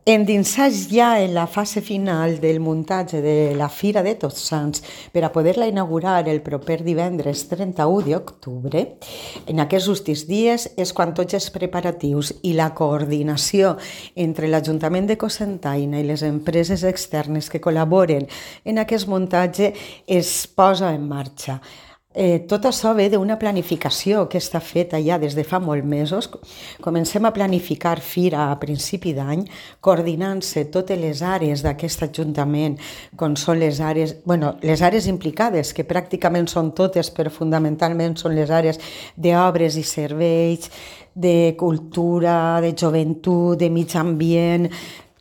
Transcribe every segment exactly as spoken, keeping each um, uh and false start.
endinsats ja en la fase final del muntatge de la Fira de Tots Sants per a poder-la inaugurar el proper divendres trenta-u d'octubre, en aquests últims dies és quan tots els preparatius i la coordinació entre l'Ajuntament de Cocentaina i les empreses externes que col·laboren en aquest muntatge es posa en marxa. Eh, tot això ve d'una planificació que està feta ja des de fa molts mesos. Comencem a planificar Fira a principi d'any, coordinant-se totes les àrees d'aquest Ajuntament, com són les àrees, bueno, les àrees implicades, que pràcticament són totes, però fonamentalment són les àrees d'obres i serveis, de cultura, de joventut, de mig ambient,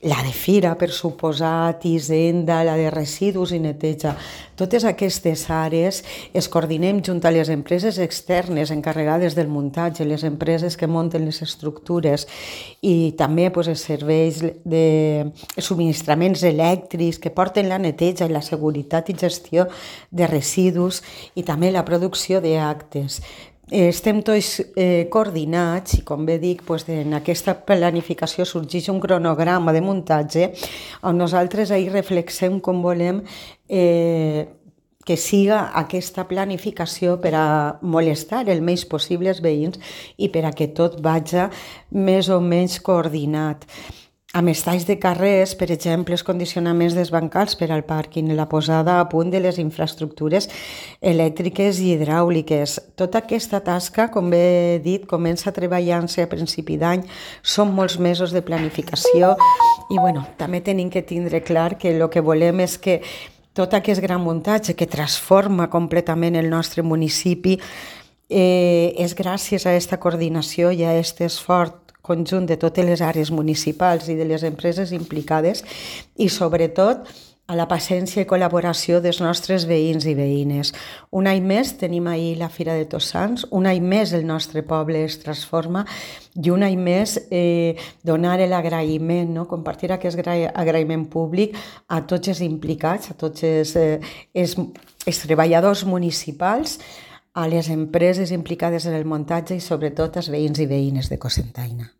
la de Fira, per suposat, Hisenda, la de residus i neteja. Totes aquestes àrees es coordinem junt a les empreses externes encarregades del muntatge, les empreses que munten les estructures i també pues, els serveis de subministraments elèctrics que porten la neteja i la seguretat i gestió de residus i també la producció d'actes. Estem tots eh, coordinats i, com bé dic, doncs, en aquesta planificació sorgeix un cronograma de muntatge on nosaltres ahir reflexem com volem eh, que siga aquesta planificació per a molestar el més possible els veïns i per a que tot vagi més o menys coordinat. Amb els talls de carrers, per exemple, els condicionaments dels bancals per al pàrquing, la posada a punt de les infraestructures elèctriques i hidràuliques. Tota aquesta tasca, com bé he dit, comença treballant-se a principi d'any, són molts mesos de planificació i bueno, també tenim que tindre clar que el que volem és que tot aquest gran muntatge que transforma completament el nostre municipi eh, és gràcies a aquesta coordinació i a aquest esforç conjunt de totes les àrees municipals i de les empreses implicades i, sobretot, a la paciència i col·laboració dels nostres veïns i veïnes. Un any més tenim ahir la Fira de Tots Sants, un any més el nostre poble es transforma i un any més eh, donar l'agraïment, no? Compartir aquest agraïment públic a tots els implicats, a tots els, eh, els, els treballadors municipals, a les empreses implicades en el muntatge i sobretot als veïns i veïnes de Cocentaina.